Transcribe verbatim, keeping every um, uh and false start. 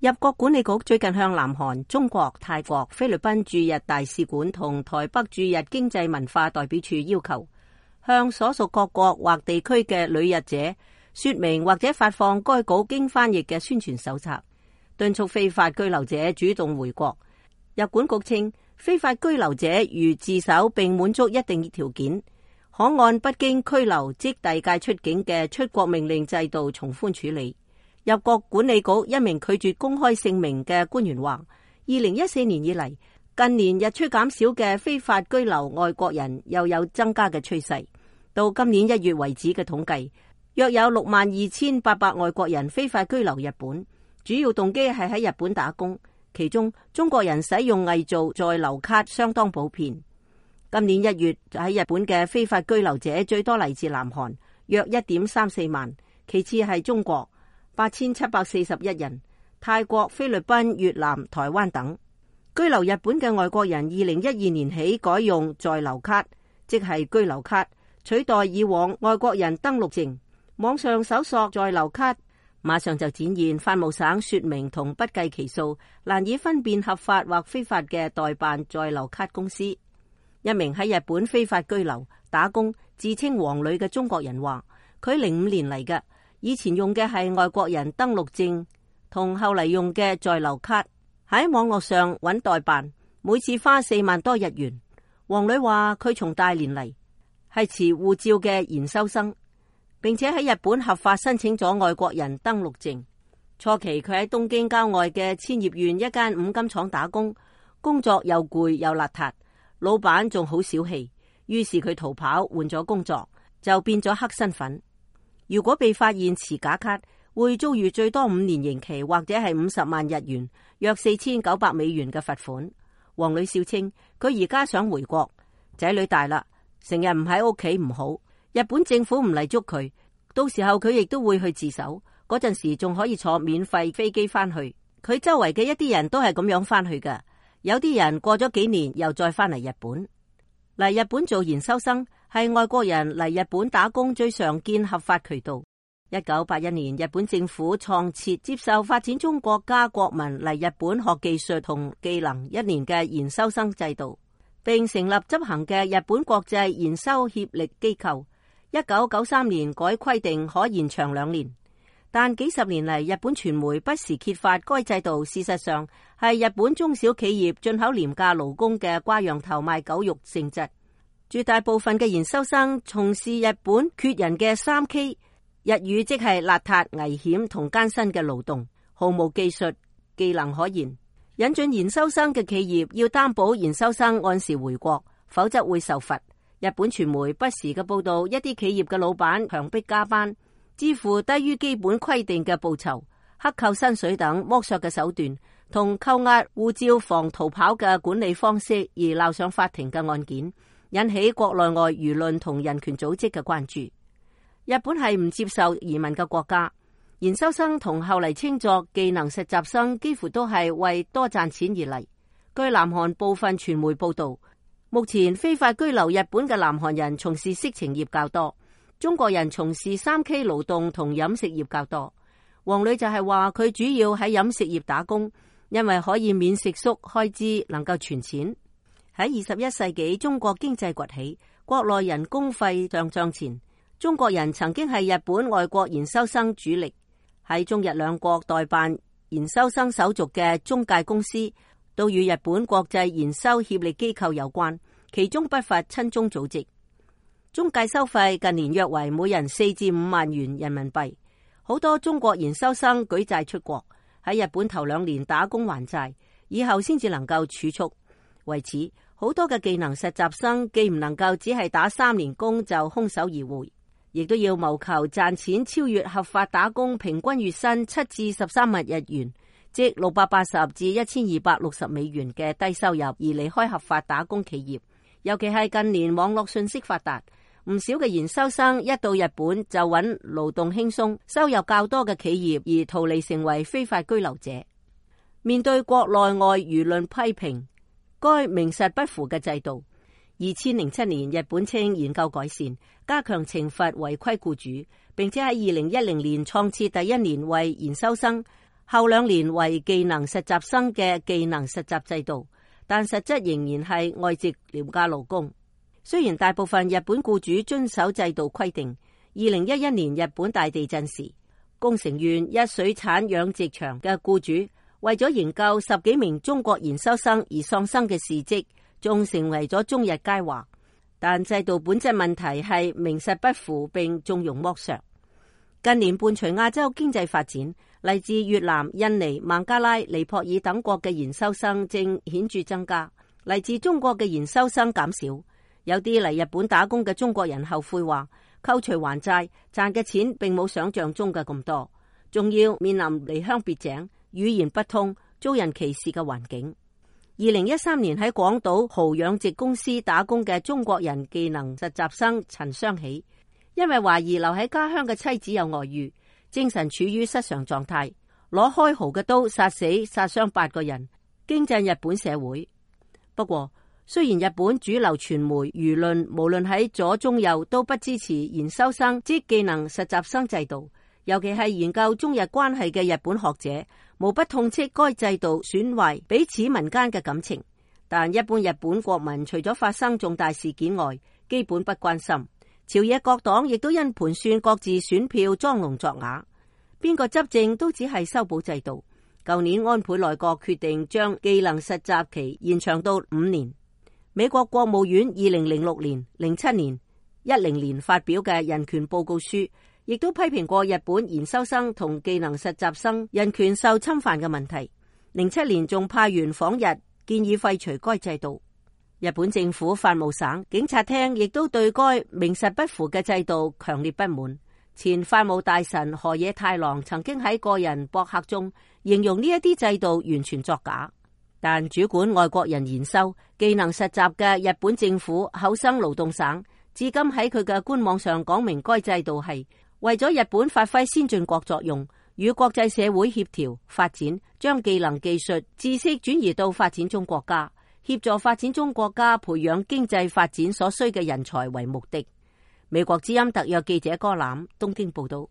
入國管理局最近向南韓、中國、泰國、菲律賓駐日大使館同台北駐日經濟文化代表處要求，向所屬各國或地區嘅旅日者說明或者發放該稿經翻譯嘅宣傳手冊，敦促非法居留者主動回國。入管局稱，非法居留者如自首並滿足一定條件，可按不經拘留即遞解出境嘅出國命令制度從寬處理。入國管理局一名拒絕公開姓名嘅官員話，二零一四年以嚟，近年日趨減少嘅非法居留外國人又有增加嘅趨勢。到今年一月為止嘅統計，約有六萬二千八百外國人非法居留日本，主要動機係喺日本打工，其中中國人使用偽造在留卡相當普遍。今年一月喺日本嘅非法居留者最多嚟自南韓，約一點三四萬，其次係中國八千七百四十一人，泰國、菲律賓、越南、台灣等。居留日本嘅外國人，二零一二年起改用在留卡，即係居留卡，取代以往外國人登錄證。網上搜索在留卡，馬上就展現法務省說明同不計其數，難以分辨合法或非法嘅代辦在留卡公司。一名喺日本非法居留打工自稱王女嘅中國人話，佢零五年嚟嘅，以前用嘅係外國人登錄證，同後嚟用嘅在留卡，喺網絡上揾代辦，每次花四萬多日元。王女話佢從大連嚟，係持護照嘅研修生，並且喺日本合法申請咗外國人登錄證。初期佢喺東京郊外嘅千葉縣一間五金廠打工，工作又攰又邋遢，老闆仲好小氣，於是佢逃跑換咗工作，就變咗黑身份。如果被發現持假卡，會遭遇最多五年刑期或者係五十萬日元，約四千九百美元嘅罰款。王女笑稱佢而家想回國，仔女大啦，成日唔喺屋企唔好，日本政府唔嚟捉佢，到時候佢亦都會去自首，嗰陣時仲可以坐免費飛機翻去。佢周圍嘅一啲人都係咁樣翻去㗎，有啲人過咗幾年又再翻嚟日本。嚟日本做研修生係外國人嚟日本打工最常見合法渠道。一九八一年，日本政府創設接受發展中國家國民嚟日本學技術同技能一年嘅研修生制度，並成立執行嘅日本國際研修協力機構。一九九三年改規定可延長兩年，但幾十年嚟日本傳媒不時揭發該制度事實上係日本中小企業進口廉價勞工嘅掛羊頭賣狗肉性質。絕大部分嘅研修生從事日本缺人嘅三 K， 日語即係邋遢、危險同艱辛嘅勞動，毫無技術技能可言。引進研修生嘅企業要擔保研修生按時回國，否則會受罰。日本傳媒不時嘅報道，一啲企業嘅老闆強迫加班，支付低於基本規定嘅報酬、克扣薪水等剝削嘅手段，同扣押護照防逃跑嘅管理方式而鬧上法庭嘅案件，引起國內外輿論同人權組織嘅關注。日本係唔接受移民嘅國家，研修生同後嚟稱作技能實習生幾乎都係為多賺錢而嚟。據南韓部分傳媒報道，目前非法居留日本嘅南韓人從事色情業較多，中國人從事三 K 勞動同飲食業較多。王女就係話佢主要喺飲食業打工，因為可以免食宿開支，能夠存錢。喺二十一世紀，中國經濟崛起，國內人工費上漲前，中國人曾經係日本外國研修生主力。喺中日兩國代辦研修生手續嘅中介公司都與日本國際研修協力機構有關，其中不乏親中組織。中介收費近年約為每人四至五萬元人民幣。好多中國研修生舉債出國，喺日本頭兩年打工還債，以後先至能夠儲蓄。為此，好多嘅技能實習生既唔能夠只係打三年工就空手而回，亦都要謀求賺錢超越合法打工平均月薪七至十三萬日元，即六百八十至一千二百六十美元嘅低收入而離開合法打工企業。尤其係近年網絡信息發達，唔少嘅研修生一到日本就揾勞動輕鬆、收入較多嘅企業而逃離，成為非法居留者。面對國內外輿論批評該名實不符嘅制度，二千零七年日本稱研究改善，加強懲罰違規僱主，並且喺二零一零年創設第一年為研修生後兩年為技能實習生嘅技能實習制度，但實質仍然係外籍廉價勞工。雖然大部分日本僱主遵守制度規定，二零一一年日本大地震時，宮城縣一水產養殖場嘅僱主為咗營救十幾名中國研修生而喪生嘅事蹟，仲成為咗中日佳話。但制度本質問題係名實不符並縱容剝削。近年伴隨亞洲經濟發展，嚟自越南、印尼、孟加拉、尼泊爾等國嘅研修生正顯著增加，嚟自中國嘅研修生減少。有啲嚟日本打工嘅中國人後悔話，扣除還債賺嘅錢並冇想象中嘅咁多，仲要面臨離鄉別井、語言不通、遭人歧視嘅環境。二零一三年喺廣島蠔養殖公司打工嘅中國人技能實習生陳雙喜，因為懷疑留喺家鄉嘅妻子有外遇，精神處於失常狀態，攞開蠔嘅刀殺死殺傷八個人，驚震日本社會。不過，雖然日本主流傳媒輿論無論喺左中右都不支持研修生即技能實習生制度，尤其係研究中日關係嘅日本學者，無不痛斥該制度損壞彼此民間嘅感情。但一般日本國民除咗發生重大事件外，基本不關心。朝野各黨亦都因盤算各自選票裝聾作啞，邊個執政都只係修補制度。舊年安倍內閣決定將技能實習期延長到五年。美國國務院二零零六年、零七年、一零年發表嘅人權報告書，亦都批評過日本研修生同技能實習生人權受侵犯嘅問題。零七年仲派員訪日，建議廢除該制度。日本政府法務省警察廳亦都對該名實不符嘅制度強烈不滿。前法務大臣河野太郎曾經喺個人博客中形容呢一啲制度完全作假。但主管外國人研修技能實習嘅日本政府厚生勞動省至今喺佢嘅官網上講明，該制度係為咗日本發揮先進國作用，與國際社會協調發展，將技能技術知識轉移到發展中國家，協助發展中國家培養經濟發展所需嘅人才為目的。美國之音特約記者柯欖東京報道。